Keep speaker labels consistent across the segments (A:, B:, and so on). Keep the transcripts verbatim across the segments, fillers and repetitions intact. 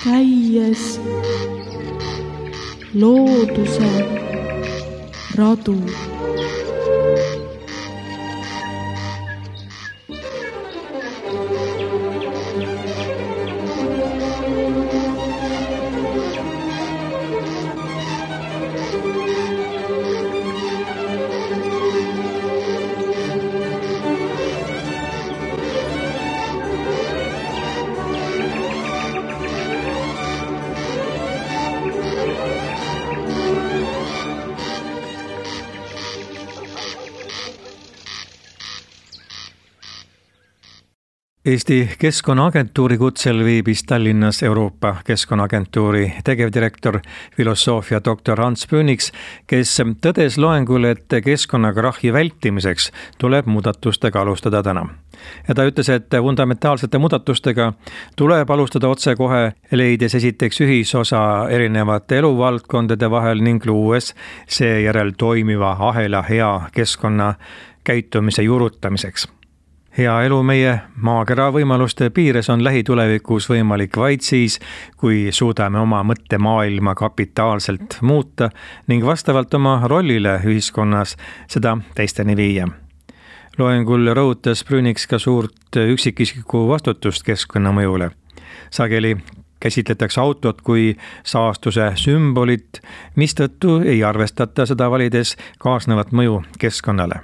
A: käies looduse radu.
B: Eesti Keskkonnaagentuuri kutsel viibis Tallinnas Euroopa Keskkonnaagentuuri tegevdirektor, filosoofia doktor Ants Brüniks, kes tõdes loengul, et keskkonnakrahhi vältimiseks tuleb muudatustega alustada täna. Ja ta ütles, et fundamentaalsete muudatustega tuleb alustada otse kohe, leides esiteks ühisosa erinevate eluvaldkondade vahel ning luues seejärel toimiva ahela hea keskkonna käitumise juurutamiseks. Hea elu meie maakera võimaluste piires on lähitulevikus võimalik vaid siis, kui suudame oma mõttemaailma kapitaalselt muuta ning vastavalt oma rollile ühiskonnas seda teisteni viia. Loengul rõhutas Brüniks ka suurt üksikisiku vastutust keskkonnamõjule. Sageli käsitletakse autot kui saastuse sümbolit, mistõttu ei arvestata seda valides kaasnevat mõju keskkonnale.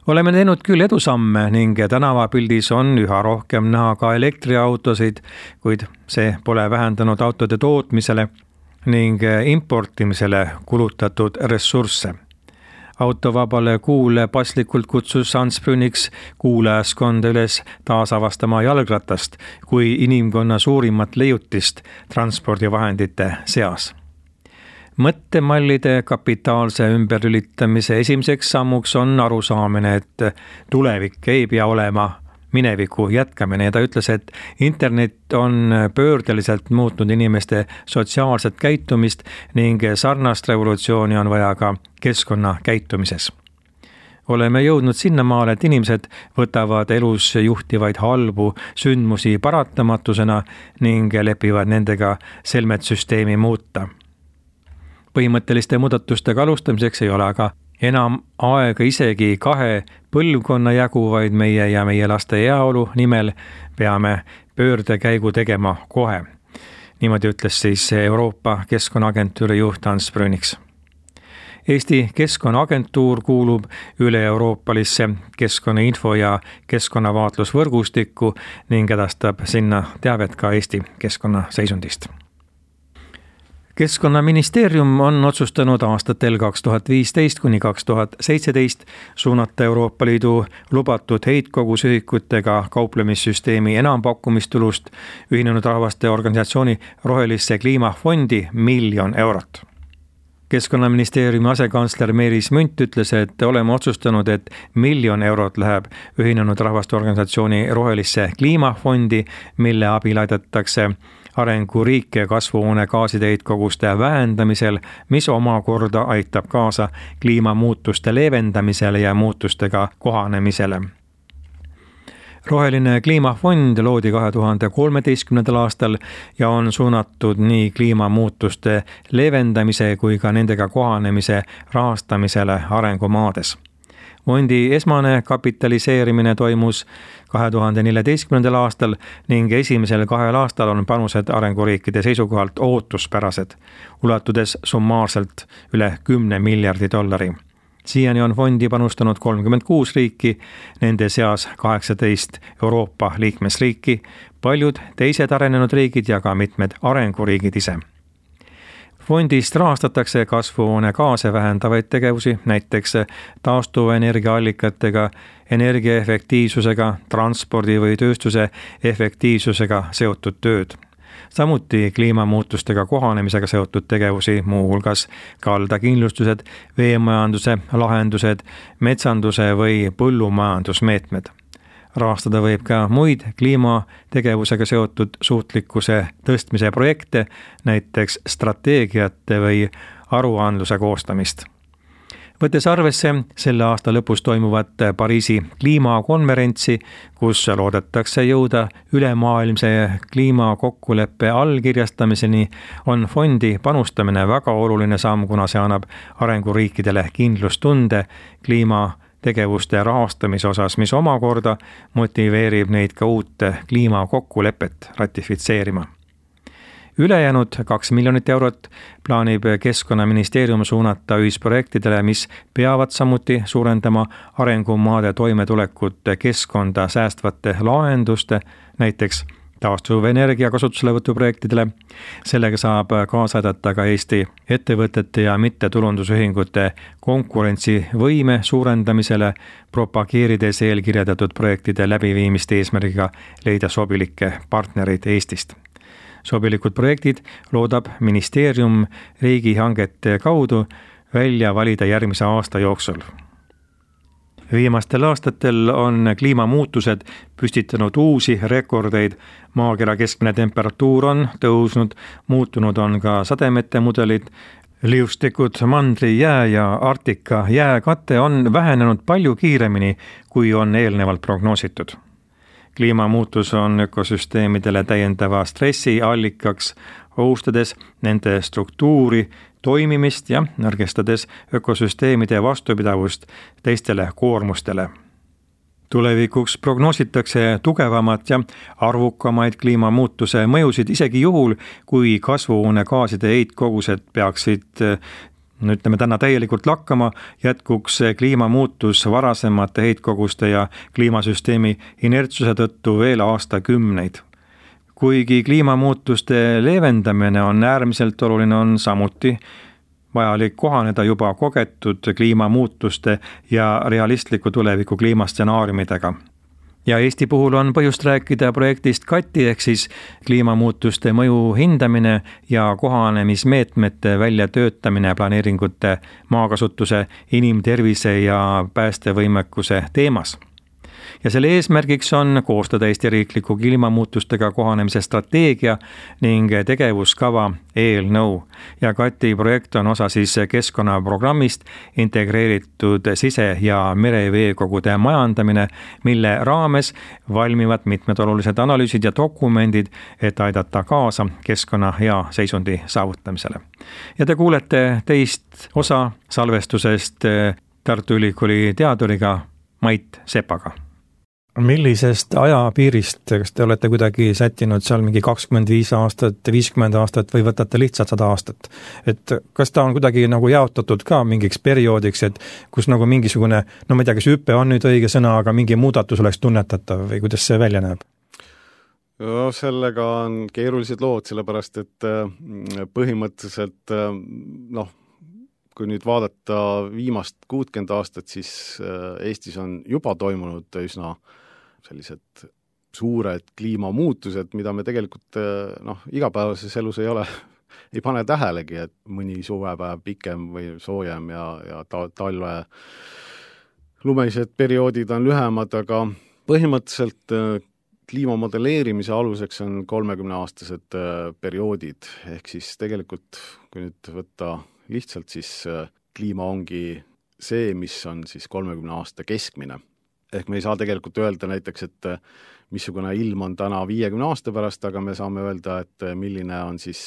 B: Oleme teinud küll edusamme ning tänavapildis on üha rohkem näha ka elektriautosid, kuid see pole vähendanud autode tootmisele ning importimisele kulutatud ressursse. Autovabale kuule paslikult kutsus Ants Brüniks kuulajaskonda üles taasavastama jalgratast kui inimkonna suurimat leiutist transpordivahendite seas. Mõttemallide kapitaalse ümberlülitamise esimeseks sammuks on arusaamine, et tulevik ei pea olema mineviku jätkamine. Ja ta ütles, et internet on pöördeliselt muutnud inimeste sotsiaalset käitumist ning sarnast revolutsiooni on vaja ka keskkonna käitumises. Oleme jõudnud sinnamaale, et inimesed võtavad elus juhtivaid halbu sündmusi paratamatusena ning lepivad nendega selmet süsteemi muuta. Põhimõtteliste muudatustega alustamiseks ei ole aga enam aega isegi kahe põlvkonna jagu, vaid meie ja meie laste heaolu nimel peame pöördekäigu tegema kohe. Niimoodi ütles siis Euroopa Keskkonnaagentuuri juht Ants Brüniks. Eesti Keskkonnaagentuur kuulub üle-euroopalisse keskkonnainfo ja keskkonnavaatlusvõrgustikku ning edastab sinna teavet ka Eesti keskkonnaseisundist. Keskkonnaministeerium on otsustanud aastatel kaks tuhat viisteist kuni kaks tuhat seitseteist suunata Euroopa Liidu lubatud heitkogusühikutega kauplemissüsteemi enampakkumistulust Ühinenud Rahvaste Organisatsiooni rohelisse kliimafondi miljon eurot. Keskkonnaministeeriumi asekantsler Meelis Münt ütles, et oleme otsustanud, et miljon eurot läheb Ühinenud Rahvaste Organisatsiooni rohelisse kliimafondi, mille abil aidatakse arenguriike kasvuhoonegaaside heitkoguste vähendamisel, mis omakorda aitab kaasa kliimamuutuste leevendamisele ja muutustega kohanemisele. Roheline kliimafond loodi kahe tuhande kolmeteistkümnendal aastal ja on suunatud nii kliimamuutuste leevendamise kui ka nendega kohanemise rahastamisele arengumaades. Fondi esmane kapitaliseerimine toimus kahe tuhande neljateistkümnendal aastal ning esimesel kahel aastal on panused arenguriikide seisukohalt ootuspärased, ulatudes summaarselt üle kümne miljardi dollari. Siiani on fondi panustanud kolmkümmend kuus riiki, nende seas kaheksateist Euroopa liikmesriiki, paljud teised arenenud riigid ja ka mitmed arenguriigid ise. Fondist rahastatakse kasvuhoonegaase vähendavaid tegevusi, näiteks taastuvenergiaallikatega, energiaefektiivsusega, transpordi või tööstuse efektiivsusega seotud tööd. Samuti kliimamuutustega kohanemisega seotud tegevusi, muu hulgas kaldakindlustused, veemajanduse lahendused, metsanduse või põllumajandusmeetmed. Rahastada võib ka muid kliimategevusega seotud suutlikkuse tõstmise projekte, näiteks strateegiate või aruandluse koostamist. Võttes arvesse selle aasta lõpus toimuvat Pariisi kliimakonverentsi, kus loodetakse jõuda ülemaailmse kliimakokkuleppe allkirjastamiseni, on fondi panustamine väga oluline samm, kuna see annab arenguriikidele kindlustunde kliimategevuste rahastamise osas, mis omakorda motiveerib neid ka uut kliimakokkulepet ratifitseerima. Ülejäänud kaks miljonit eurot plaanib Keskkonnaministeerium suunata ühisprojektidele, mis peavad samuti suurendama arengumaade toimetulekut keskkonda säästvate lahenduste, näiteks taastuvenergia kasutuselevõtu projektidele. Sellega saab kaasa aidata ka Eesti ettevõtete ja mittetulundusühingute konkurentsivõime suurendamisele, propageerides eelkirjeldatud projektide läbiviimist eesmärgiga leida sobilikke partnereid Eestist. Sobilikud projektid loodab ministeerium riigihangete kaudu välja valida järgmise aasta jooksul. Viimastel aastatel on kliimamuutused püstitanud uusi rekordeid. Maakera keskmine temperatuur on tõusnud, muutunud on ka sademete mudelid, liustikud, mandri jää ja Arktika jääkate on vähenenud palju kiiremini, kui on eelnevalt prognoositud. Kliimamuutus on ökosüsteemidele täiendava stressi allikaks, ohustades nende struktuuri, toimimist ja nõrgestades ökosüsteemide vastupidavust teistele koormustele. Tulevikuks prognoositakse tugevamat ja arvukamaid kliimamuutuse mõjusid isegi juhul, kui kasvuhoonegaaside heitkogused peaksid no ütleme täna täielikult lakkama, jätkuks kliimamuutus varasemate heitkoguste ja kliimasüsteemi inertsuse tõttu veel aastakümneid. Kuigi kliimamuutuste leevendamine on äärmiselt oluline, on samuti vajalik kohaneda juba kogetud kliimamuutuste ja realistliku tuleviku kliimastsenaariumidega. Ja Eesti puhul on põhjust rääkida projektist Kati ehk siis kliimamuutuste mõju hindamine ja kohanemismeetmete väljatöötamine planeeringute maakasutuse, inimtervise ja päästevõimekuse teemas. Ja selle eesmärgiks on koostada Eesti riikliku kliimamuutustega kohanemise strateegia ning tegevuskava eelnõu. Ja Kati projekt on osa siis keskkonnaprogrammist integreeritud sise- ja mereveekogude majandamine, mille raames valmivad mitmed olulised analüüsid ja dokumendid, et aidata kaasa keskkonna hea seisundi saavutamisele. Ja te kuulete teist osa salvestusest Tartu Ülikooli teaduriga Mait Sepaga. Millisest ajapiirist, kas te olete kuidagi sättinud seal mingi kakskümmend viis aastat, viiskümmend aastat või võtate lihtsalt sada aastat? Et kas ta on kuidagi nagu jaotatud ka mingiks perioodiks, et kus nagu mingisugune, no ma ei tea, kas hüppe on nüüd õige sõna, aga mingi muudatus oleks tunnetatav või kuidas see välja näeb?
C: No, sellega on keerulised lood, sellepärast et põhimõtteliselt noh, kui nüüd vaadata viimast kuutkümmend aastat, siis Eestis on juba toimunud üsna sellised suured kliimamuutused, mida me tegelikult noh, igapäevases elus ei ole, ei pane tähelegi, et mõni suvepäev pikem või soojem ja, ja ta, talve lumelised perioodid on lühemad, aga põhimõtteliselt kliimamodelleerimise aluseks on kolmekümneaastased perioodid, ehk siis tegelikult, kui nüüd võtta lihtsalt, siis kliima ongi see, mis on siis kolmekümne aasta keskmine. Ehk me ei saa tegelikult öelda näiteks, et missugune ilm on täna viiekümne aasta pärast, aga me saame öelda, et milline on siis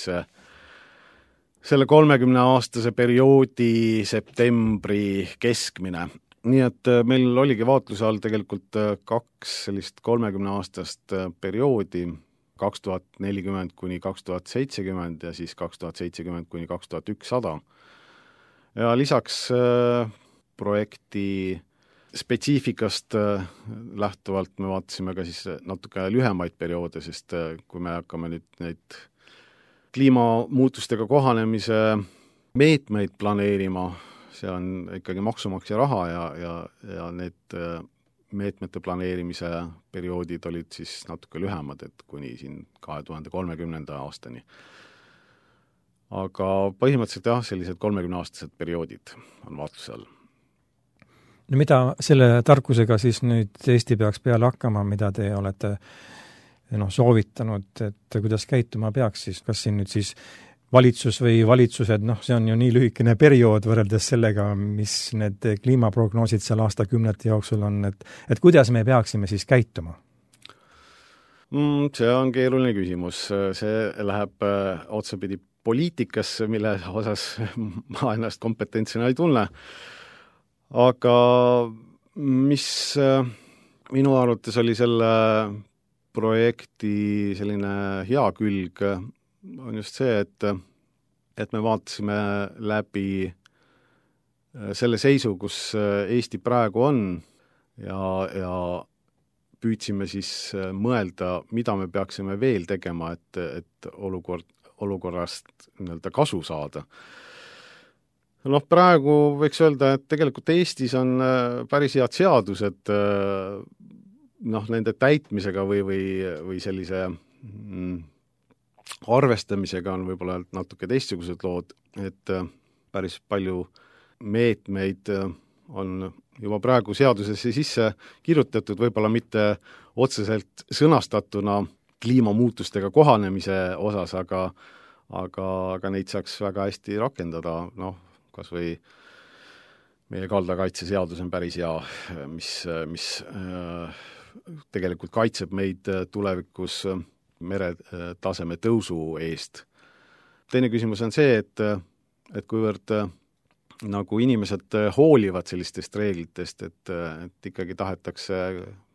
C: selle kolmekümne aastase perioodi septembri keskmine. Nii et meil oligi vaatluse all tegelikult kaks sellist kolmekümne aastast perioodi, kaks tuhat nelikümmend kuni kaks tuhat seitsekümmend ja siis kaks tuhat seitsekümmend kuni kaks tuhat ükssada. Ja lisaks projekti spetsiifikast lähtuvalt me vaatasime ka siis natuke lühemaid perioode, sest kui me hakkame nüüd neid kliimamuutustega kohanemise meetmeid planeerima, see on ikkagi maksumaksja raha ja, ja, ja need meetmete planeerimise perioodid olid siis natuke lühemad, et kuni siin kahe tuhande kolmekümnenda aastani. Aga põhimõtteliselt jah, sellised kolmekümneaastased perioodid on vaatluse all.
B: No mida selle tarkusega siis nüüd Eesti peaks peale hakkama, mida te olete no, soovitanud, et kuidas käituma peaks siis, kas siin nüüd siis valitsus või valitsused, noh, see on ju nii lühikene periood võrreldes sellega, mis need kliimaprognoosid seal aastakümnete jooksul on, et, et kuidas me peaksime siis käituma?
C: Mm, see on keeruline küsimus. See läheb äh, otsapidi poliitikasse, mille osas ma ennast kompetentsina ei tunne. Aga mis äh, minu arvates oli selle projekti selline hea külg, on just see, et, et me vaatasime läbi selle seisu, kus Eesti praegu on ja, ja püüdsime siis mõelda, mida me peaksime veel tegema, et, et olukord, olukorrast nii-öelda kasu saada. Noh, praegu võiks öelda, et tegelikult Eestis on päris head seadused noh, nende täitmisega või, või, või sellise mm, arvestamisega on võib-olla natuke teistsugused lood, et päris palju meetmeid on juba praegu seadusesse sisse kirjutatud, võib-olla mitte otseselt sõnastatuna kliimamuutustega kohanemise osas, aga, aga, aga neid saaks väga hästi rakendada, noh, kas või meie kaldakaitseseadus on päris hea, mis, mis äh, tegelikult kaitseb meid tulevikus meretaseme tõusu eest. Teine küsimus on see, et, et kuivõrd nagu inimesed hoolivad sellistest reeglitest, et, et ikkagi tahetakse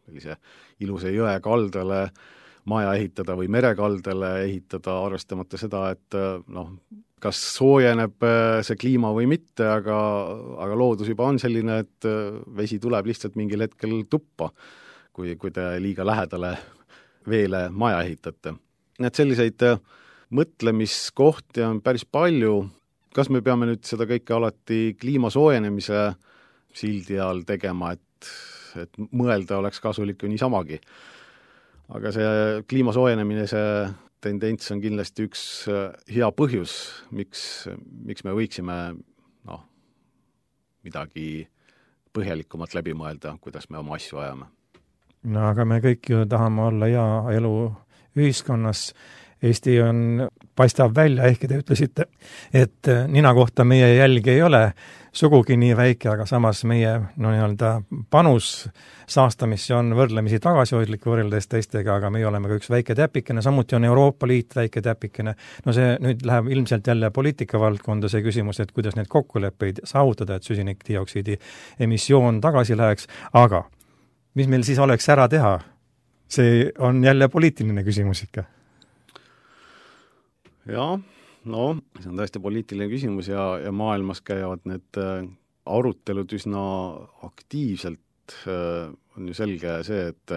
C: sellise ilusa jõe kaldale maja ehitada või merekaldale ehitada, arvestamata seda, et noh, kas soojeneb see kliima või mitte, aga, aga loodus juba on selline, et vesi tuleb lihtsalt mingil hetkel tuppa, kui, kui te liiga lähedale veele maja ehitate. Need selliseid mõtlemiskohti on päris palju. Kas me peame nüüd seda kõike alati kliima soojenemise sildi all tegema, et, et mõelda oleks kasulik ju niisamagi. Aga see kliima soojenemine, see tendents on kindlasti üks hea põhjus, miks, miks me võiksime noh, midagi põhjalikumat läbi mõelda, kuidas me oma asju ajame.
B: No aga me kõik ju tahame olla hea elu ühiskonnas. Eesti on, paistab välja, ehkki te ütlesite, et nina kohta meie jälg ei ole sugugi nii väike, aga samas meie no, nii-öelda panus saastamisse on võrdlemisi tagasihoidlik võrreldes teistega, aga meie oleme ka üks väike täpikene, samuti on Euroopa Liit väike täpikene. No see nüüd läheb ilmselt jälle poliitika valdkonda see küsimus, et kuidas need kokkuleppeid saavutada, et süsinikdioksiidi emissioon tagasi läheks, aga mis meil siis oleks ära teha? See on jälle poliitiline küsimus ikka.
C: Jaa, no see on tõesti poliitiline küsimus ja, ja maailmas käivad need arutelud üsna aktiivselt. On ju selge see, et,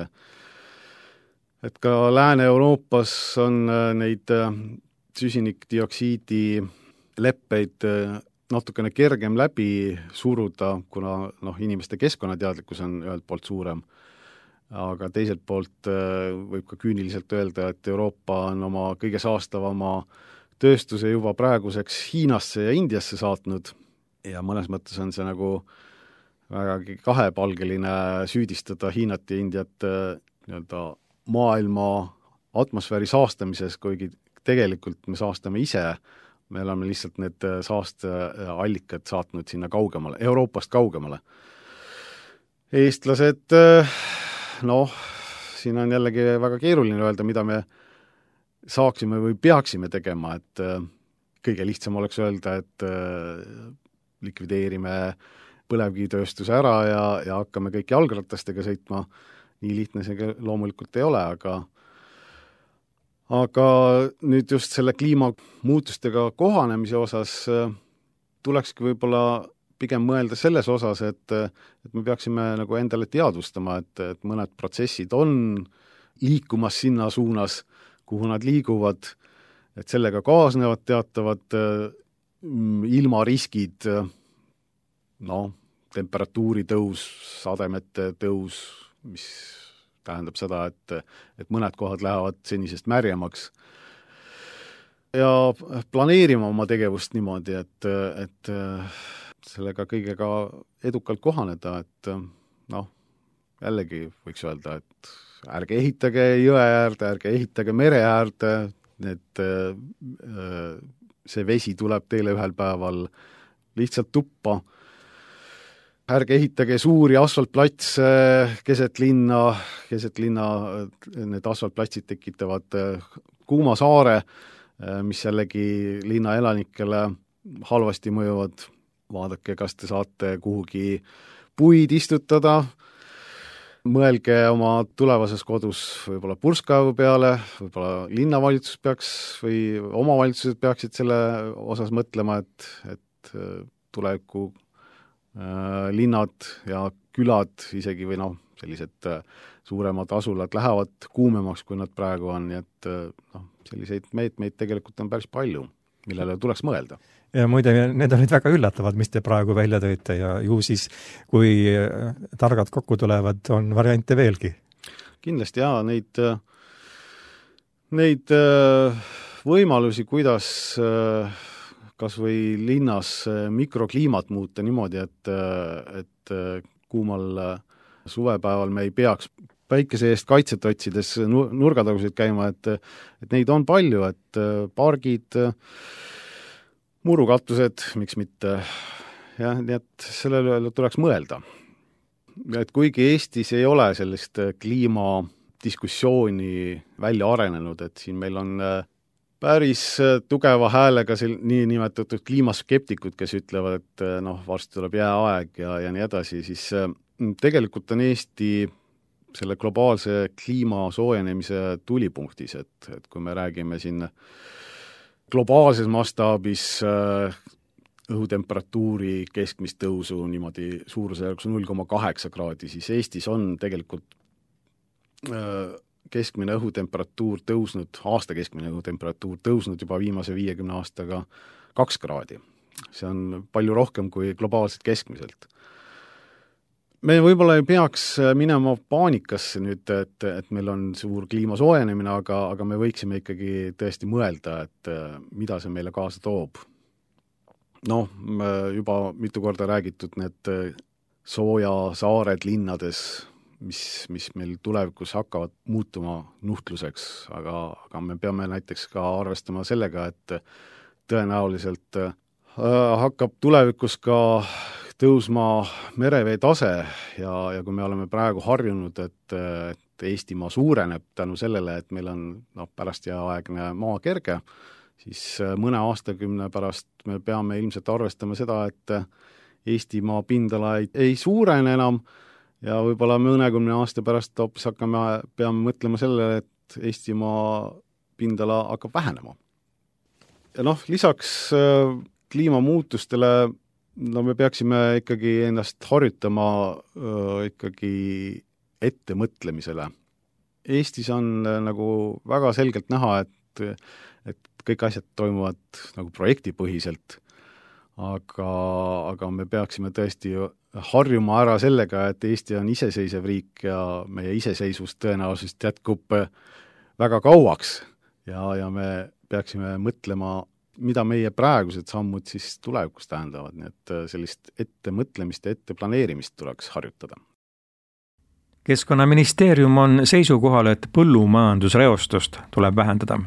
C: et ka Lääne-Euroopas on neid süsinikdioksiidi leppeid natukene kergem läbi suruda, kuna noh, inimeste keskkonnateadlikkus on ühelt poolt suurem. Aga teiselt poolt võib ka küüniliselt öelda, et Euroopa on oma kõige saastavama tööstuse juba praeguseks Hiinasse ja Indiasse saatnud ja mõnes mõttes on see nagu vägagi kahepalgeline süüdistada Hiinat ja Indiat nii-öelda maailma atmosfääri saastamises, kuigi tegelikult me saastame ise, me oleme lihtsalt need saasteallikad saatnud sinna kaugemale, Euroopast kaugemale. Eestlased noh, siin on jällegi väga keeruline öelda, mida me saaksime või peaksime tegema, et kõige lihtsam oleks öelda, et likvideerime põlevkivitööstuse ära ja, ja hakkame kõik jalgratastega sõitma. Nii lihtne see loomulikult ei ole, aga aga nüüd just selle kliimamuutustega kohanemise osas tulekski võib-olla pigem mõelda selles osas, et, et me peaksime nagu endale teadvustama, et, et mõned protsessid on liikumas sinna suunas, kuhu nad liiguvad, et sellega kaasnevad teatavad ilmariskid, no, temperatuuri tõus, sademete tõus, mis tähendab seda, et, et mõned kohad lähevad senisest märjemaks. Ja planeerima oma tegevust niimoodi, et, et sellega kõigega edukalt kohaneda, et noh, jällegi võiks öelda, et ärge ehitage jõe äärde, ärge ehitage mere äärde, need see vesi tuleb teile ühel päeval lihtsalt tuppa. Ärge ehitage suuri asfaltplatse keset linna, keset linna need asfaltplatsid tekitavad kuuma saare, mis jällegi linna elanikele halvasti mõjuvad. Vaadake, kas te saate kuhugi puid istutada, mõelge oma tulevases kodus võib-olla purskkaevu peale, võib-olla linnavalitsus peaks või omavalitsused peaksid selle osas mõtlema, et, et tuleviku äh, linnad ja külad isegi või noh, sellised äh, suuremad asulad lähevad kuumemaks, kui nad praegu on, nii et äh, noh, selliseid meetmeid tegelikult on päris palju, millele tuleks mõelda.
B: Ja muide, need olid väga üllatavad, mis te praegu välja tõite ja ju siis, kui targad kokku tulevad, on variante veelgi.
C: Kindlasti jaa, neid, neid võimalusi, kuidas kas või linnas mikrokliimat muuta niimoodi, et, et kuumal suvepäeval me ei peaks päikese eest kaitset otsides nurgatagusid käima, et, et neid on palju, et pargid, murukatused, miks mitte, jah, nii et sellele tuleks mõelda. Et kuigi Eestis ei ole sellist kliimadiskussiooni välja arenenud, et siin meil on päris tugeva häälega nii nimetatud kliimaskeptikud, kes ütlevad, et noh, varsti tuleb jääaeg ja, ja nii edasi, siis tegelikult on Eesti selle globaalse kliima soojenemise tulipunktis, et, et kui me räägime siin globaalses mastaabis õhutemperatuuri keskmist tõusu niimoodi suurusjärgus null koma kaheksa kraadi, siis Eestis on tegelikult keskmine õhutemperatuur tõusnud, aasta keskmine õhutemperatuur tõusnud juba viimase viiekümne aastaga kaks kraadi. See on palju rohkem kui globaalselt keskmiselt. Me võib-olla ei peaks minema paanikasse nüüd, et, et meil on suur kliima soojenemine, aga, aga me võiksime ikkagi tõesti mõelda, et mida see meile kaasa toob. Noh, juba mitu korda räägitud need soojasaared linnades, mis, mis meil tulevikus hakkavad muutuma nuhtluseks, aga, aga me peame näiteks ka arvestama sellega, et tõenäoliselt hakkab tulevikus ka tõusma merevee tase ja, ja kui me oleme praegu harjunud, et, et Eestimaa suureneb tänu sellele, et meil on no, pärast jääaegne maa kerge, siis mõne aastakümne pärast me peame ilmselt arvestama seda, et Eestimaa pindala ei, ei suurene enam ja võib-olla mõnekümne aasta pärast hoopis hakkame, peame mõtlema sellele, et Eestimaa pindala hakkab vähenema. Ja noh, lisaks kliimamuutustele no me peaksime ikkagi ennast harjutama öö, ikkagi ettemõtlemisele. Eestis on nagu väga selgelt näha, et, et kõik asjad toimuvad nagu projektipõhiselt, aga, aga me peaksime tõesti harjuma ära sellega, et Eesti on iseseisev riik ja meie iseseisvus tõenäoliselt jätkub väga kauaks ja, ja me peaksime mõtlema mida meie praegused sammud siis tulevikus tähendavad, nii et sellist ettemõtlemist ja etteplaneerimist tuleks harjutada.
B: Keskkonnaministeerium on seisukohal, et põllumajandusreostust tuleb vähendada.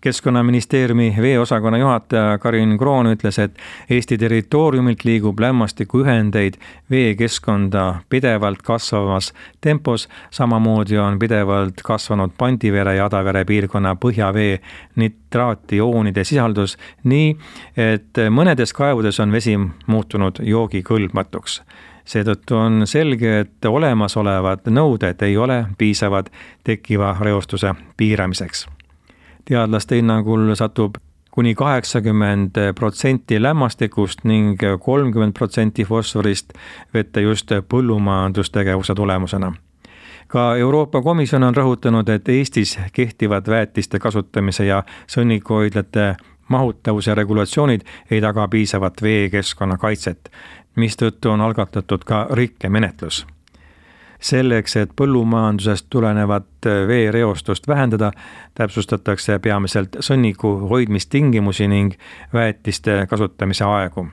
B: Keskkonnaministeeriumi veeosakonna juhataja Karin Kroon ütles, et Eesti territooriumilt liigub lämmastikuühendeid veekeskkonda pidevalt kasvavas tempos, samamoodi on pidevalt kasvanud Pandivere ja Adavere piirkonna põhjavee nitraatioonide sisaldus nii, et mõnedes kaevudes on vesi muutunud joogikõlbmatuks. Seetõttu on selge, et olemasolevad nõuded ei ole piisavad tekkiva reostuse piiramiseks. Teadlaste hinnangul satub kuni kaheksakümmend protsenti lämmastikust ning kolmkümmend protsenti fosforist vette just põllumajandustegevuse tulemusena. Ka Euroopa Komisjon on rõhutanud, et Eestis kehtivad väetiste kasutamise ja sõnnikuhoidlate mahutavuse regulatsioonid ei taga piisavat veekeskkonna kaitset, mistõttu on algatatud ka rikkemenetlus. Selleks, et põllumajandusest tulenevat veereostust vähendada, täpsustatakse peamiselt sõnniku hoidmistingimusi ning väetiste kasutamise aegu.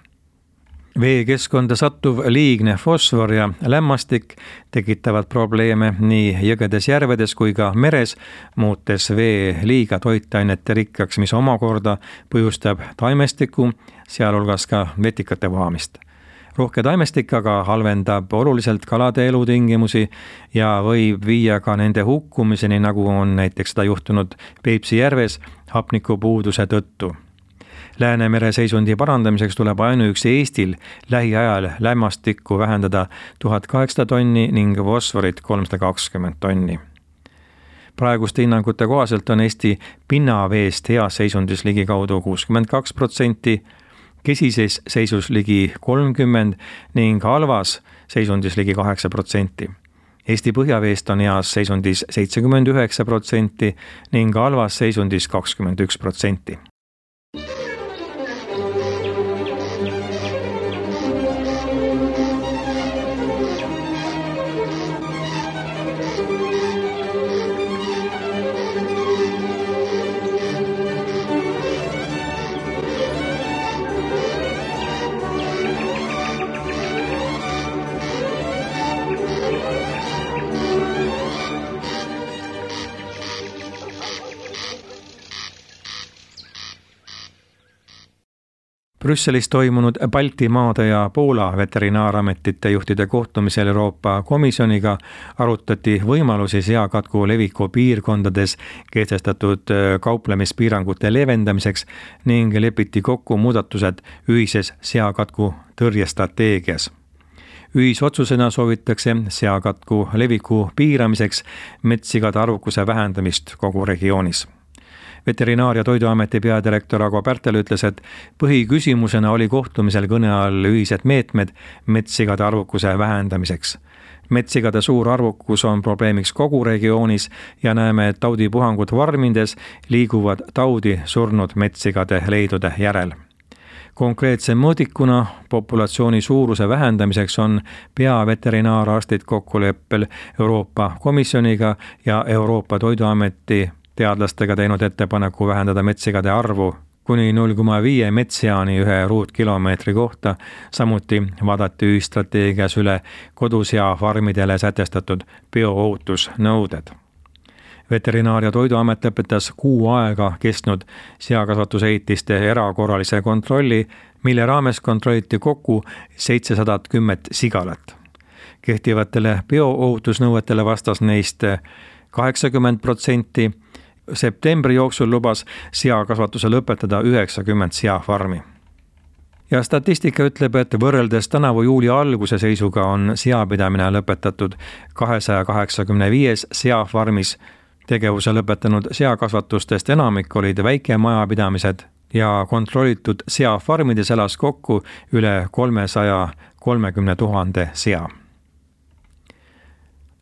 B: veekeskkonda sattuv liigne fosfor ja lämmastik tekitavad probleeme nii jõgedes, järvedes kui ka meres, muutes vee liiga toitainete rikkaks, mis omakorda põhjustab taimestiku, sealhulgas ka vetikate vohamist. Rohke taimestik aga halvendab oluliselt kalade elutingimusi ja võib viia ka nende hukkumiseni, nagu on näiteks seda juhtunud Peipsi järves hapnikupuuduse tõttu. Läänemere seisundi parandamiseks tuleb ainuüksi Eestil lähiajal lämmastikku vähendada tuhat kaheksasada tonni ning fosforit kolmsada kakskümmend tonni. Praeguste hinnangute kohaselt on Eesti pinnaveest heas seisundis ligikaudu kuuskümmend kaks protsenti, kesises seisus ligi kolmkümmend ning halvas seisundis ligi kaheksa protsenti. Eesti põhjaveest on heas seisundis seitsekümmend üheksa protsenti ning halvas seisundis kakskümmend üks protsenti. Brüsselis toimunud Baltimaade ja Poola veterinaarametite juhtide kohtumisel Euroopa Komisjoniga arutati võimalusi seakatku leviku piirkondades kehtestatud kauplemispiirangute leevendamiseks ning lepiti kokku muudatused ühises seakatku tõrjestrateegias. Ühisotsusena soovitakse seakatku leviku piiramiseks metssigade arvukuse vähendamist kogu regioonis. Veterinaar- ja Toiduameti peadirektor Ago Pärtel ütles, et põhiküsimusena oli kohtumisel kõne all ühised meetmed metssigade arvukuse vähendamiseks. Metssigade suur arvukus on probleemiks kogu regioonis ja näeme, et taudipuhangud varmindes liiguvad taudi surnud metssigade leidude järel. Konkreetse mõõdikuna populatsiooni suuruse vähendamiseks on peaveterinaararstid kokkuleppel Euroopa Komisjoniga ja Euroopa Toiduameti teadlastega teinud ettepaneku vähendada metssigade arvu kuni null koma viis metsseani ühe ruutkilomeetri kohta, samuti vaadati ühistrateegias üle kodusea-farmidele sätestatud bioohutusnõuded. Veterinaar- ja Toiduamet lõpetas kuu aega kestnud seakasvatusehitiste erakorralise kontrolli, mille raames kontrolliti kokku seitsesada kümme sigalat. Kehtivatele bioohutusnõuetele vastas neist kaheksakümmend protsenti. Septembri jooksul lubas seakasvatuse lõpetada üheksakümmend seafarmi. Ja statistika ütleb, et võrreldes tänavu juuli alguse seisuga on seapidamine lõpetatud kahesaja kaheksakümne viies seafarmis. Tegevuse lõpetanud seakasvatustest enamik olid väikemajapidamised ja kontrollitud seafarmides elas kokku üle kolmesaja kolmekümne tuhande sea.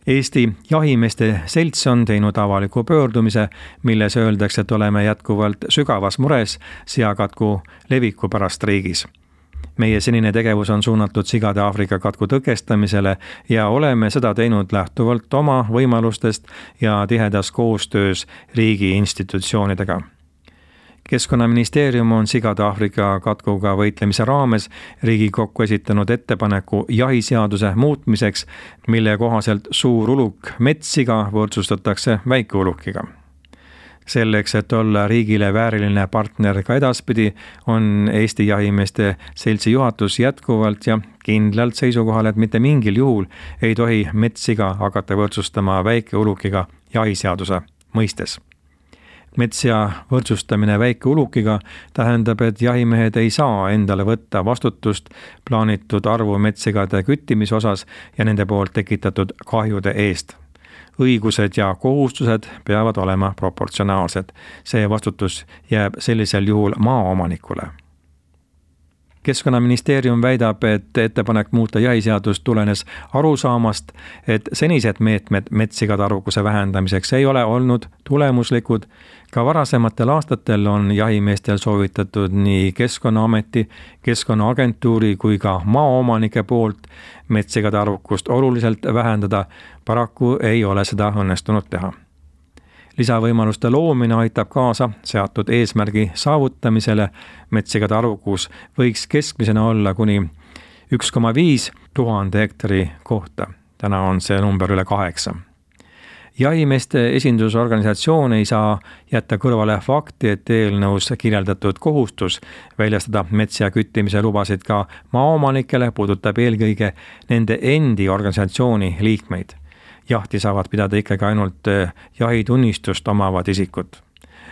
B: Eesti jahimeeste selts on teinud avaliku pöördumise, milles öeldakse, et oleme jätkuvalt sügavas mures seakatku leviku pärast riigis. Meie senine tegevus on suunatud sigade Aafrika katku tõkestamisele ja oleme seda teinud lähtuvalt oma võimalustest ja tihedas koostöös riigi institutsioonidega. Keskkonnaministeerium on sigade Aafrika katkuga võitlemise raames Riigikokku esitanud ettepaneku jahiseaduse muutmiseks, mille kohaselt suur uluk metssiga võrdsustatakse väikeulukiga. Selleks, et olla riigile vääriline partner ka edaspidi, on Eesti jahimeeste seltsi juhatus jätkuvalt ja kindlalt seisukohal, et mitte mingil juhul ei tohi metssiga hakata võrdsustama väikeulukiga jahiseaduse mõistes. Metsia võrdsustamine väikeulukiga tähendab, et jahimehed ei saa endale võtta vastutust plaanitud arvu metssigade küttimise osas ja nende poolt tekitatud kahjude eest. Õigused ja kohustused peavad olema proportsionaalsed. See vastutus jääb sellisel juhul maaomanikule. Keskkonnaministeerium väidab, et ettepanek muuta jahiseadust tulenes arusaamast, et senised meetmed metssigade arvukuse vähendamiseks ei ole olnud tulemuslikud. Ka varasematel aastatel on jahimeestel soovitatud nii Keskkonnaameti, Keskkonnaagentuuri kui ka maaomanike poolt metssigade arvukust oluliselt vähendada. Paraku ei ole seda õnnestunud teha. Lisavõimaluste loomine aitab kaasa seatud eesmärgi saavutamisele. Metssigade arvukus võiks keskmisena olla kuni üks koma viis tuhande hektari kohta. Täna on see number üle kaheksa. Jahimeeste esindusorganisatsioon ei saa jätta kõrvale fakti, et eelnõus kirjeldatud kohustus väljastada metsa küttimise lubasid ka maaomanikele puudutab eelkõige nende endi organisatsiooni liikmeid. Jahti saavad pidada ikkagi ainult jahitunnistust omavad isikud.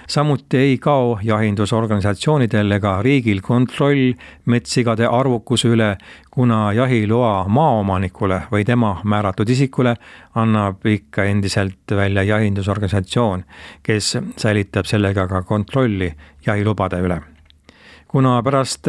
B: Samuti ei kao jahindusorganisatsioonidel ega riigil kontroll metssigade arvukuse üle, kuna jahiloa maaomanikule või tema määratud isikule annab ikka endiselt välja jahindusorganisatsioon, kes säilitab sellega ka kontrolli jahilubade üle. Kuna pärast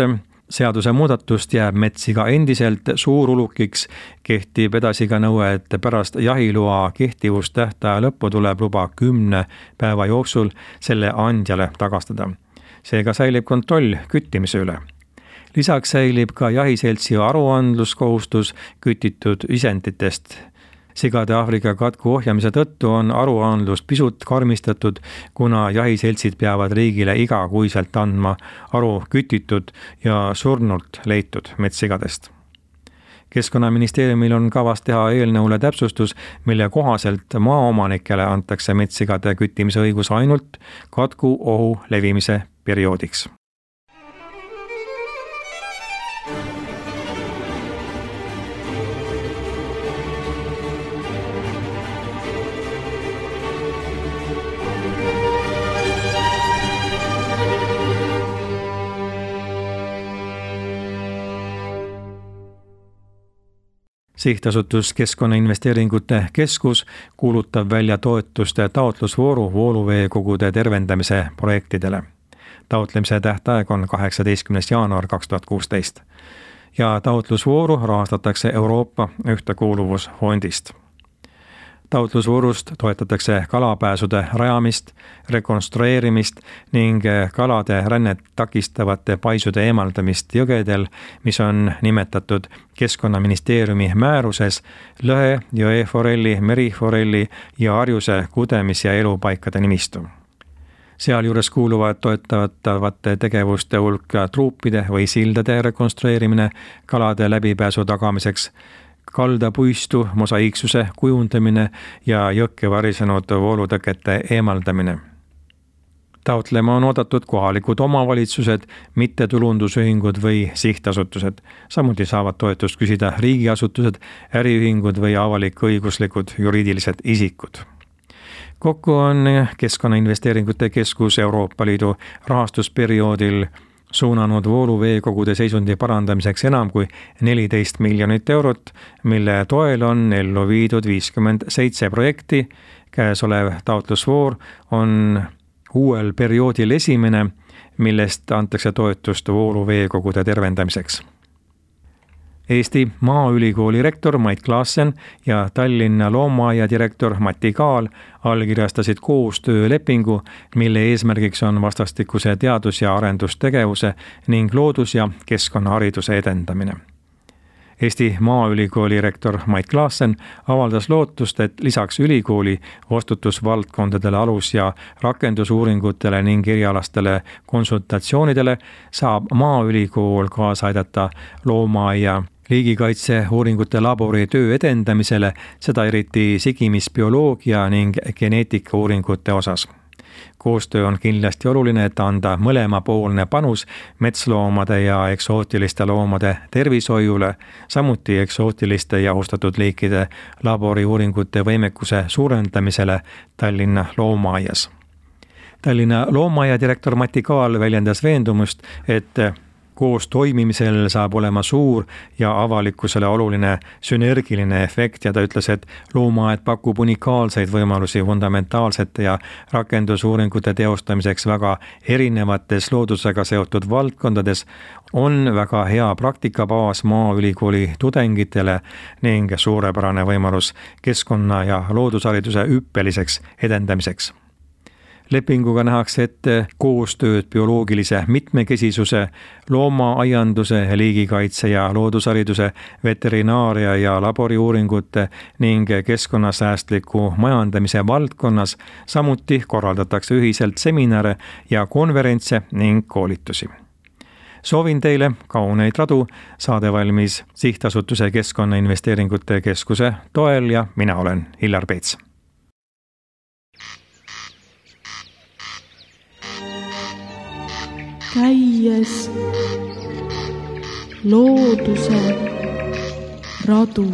B: seaduse muudatust jääb metssiga endiselt suurulukiks, kehtib edasi ka nõue, et pärast jahiloa kehtivustähtaja lõppu tuleb luba kümne päeva jooksul selle andjale tagastada. Seega säilib kontroll küttimise üle. Lisaks säilib ka jahiseltsi aruandluskohustus kütitud isenditest. Sigade Aafrika katku ohjamise tõttu on aruandlust pisut karmistatud, kuna jahiseltsid peavad riigile igakuiselt andma aru kütitud ja surnult leitud metssigadest. Keskkonnaministeeriumil on kavas teha eelnõule täpsustus, mille kohaselt maaomanikele antakse metssigade küttimise õigus ainult katku ohu levimise perioodiks. Sihtasutus Keskkonnainvesteeringute Keskus kuulutab välja toetuste taotlusvooru vooluveekogude tervendamise projektidele. Taotlemise tähtaeg on kaheksateistkümnes jaanuar kaks tuhat kuusteist ja taotlusvooru rahastatakse Euroopa Ühtekuuluvusfondist. Taotlusvoorust toetatakse kalapääsude rajamist, rekonstrueerimist ning kalade rännet takistavate paisude eemaldamist jõgedel, mis on nimetatud Keskkonnaministeeriumi määruses lõhe, jõeforelli, meriforelli ja harjuse kudemis- ja elupaikade nimistu. Sealjuures kuuluvad toetatavate tegevuste hulka truupide või sildade rekonstrueerimine kalade läbipääsu tagamiseks, kaldapuistu mosaiiksuse kujundamine ja jõkke varisenud voolutõkete eemaldamine. Taotlema on oodatud kohalikud omavalitsused, mittetulundusühingud või sihtasutused. Samuti saavad toetust küsida riigiasutused, äriühingud või avalik-õiguslikud juriidilised isikud. Kokku on Keskkonnainvesteeringute Keskus Euroopa Liidu rahastusperioodil suunanud vooluveekogude seisundi parandamiseks enam kui neliteist miljonit eurot, mille toel on ellu viidud viiskümmend seitse projekti. Käesolev taotlusvoor on uuel perioodil esimene, millest antakse toetust vooluveekogude tervendamiseks. Eesti Maaülikooli rektor Mait Klaassen ja Tallinna Loomaaia direktor Mati Kaal allkirjastasid koostöölepingu, mille eesmärgiks on vastastikuse teadus- ja arendustegevuse ning loodus- ja keskkonnahariduse edendamine. Eesti Maaülikooli rektor Mait Klaassen avaldas lootust, et lisaks ülikooli vastutusvaldkondadele alus- ja rakendusuuringutele ning erialastele konsultatsioonidele saab Maaülikool kaasa aidata loomaaia liigikaitseuuringute labori töö edendamisele, seda eriti sigimisbioloogia ning geneetikauuringute osas. Koostöö on kindlasti oluline, et anda mõlemapoolne panus metsloomade ja eksootiliste loomade tervishoiule, samuti eksootiliste ja ohustatud liikide laboriuuringute võimekuse suurendamisele Tallinna Loomaaias. Tallinna Loomaaia direktor Mati Kaal väljendas veendumust, et koos toimimisel saab olema suur ja avalikkusele oluline sünergiline efekt ja ta ütles, et loomaaed pakub unikaalseid võimalusi fundamentaalsete ja rakendusuuringute teostamiseks väga erinevates loodusega seotud valdkondades, on väga hea praktikabaas Maaülikooli tudengitele ning suurepärane võimalus keskkonna- ja loodushariduse hüppeliseks edendamiseks. Lepinguga nähakse ette koostööd bioloogilise mitmekesisuse, loomaaianduse, liigikaitse ja loodushariduse, veterinaaria ja laboriuuringute ning keskkonnasäästliku majandamise valdkonnas, samuti korraldatakse ühiselt seminare ja konverentse ning koolitusi. soovin teile kauneid radu, saade valmis Sihtasutuse Keskkonnainvesteeringute Keskuse toel ja mina olen Hillar Peets.
A: Käies looduse radu.